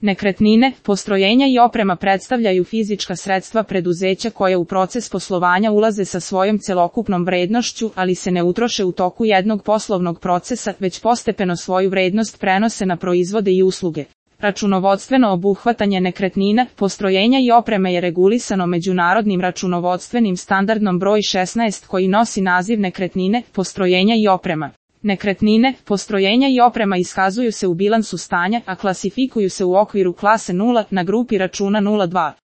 Nekretnine, postrojenja i oprema predstavljaju fizička sredstva preduzeća koje u proces poslovanja ulaze sa svojom celokupnom vrednošću, ali se ne utroše u toku jednog poslovnog procesa, već postepeno svoju vrednost prenose na proizvode i usluge. Računovodstveno obuhvatanje nekretnina, postrojenja i opreme je regulisano međunarodnim računovodstvenim standardom broj 16 koji nosi naziv nekretnine, postrojenja i oprema. Nekretnine, postrojenja i oprema iskazuju se u bilansu stanja, a klasifikuju se u okviru klase 0 na grupi računa 02.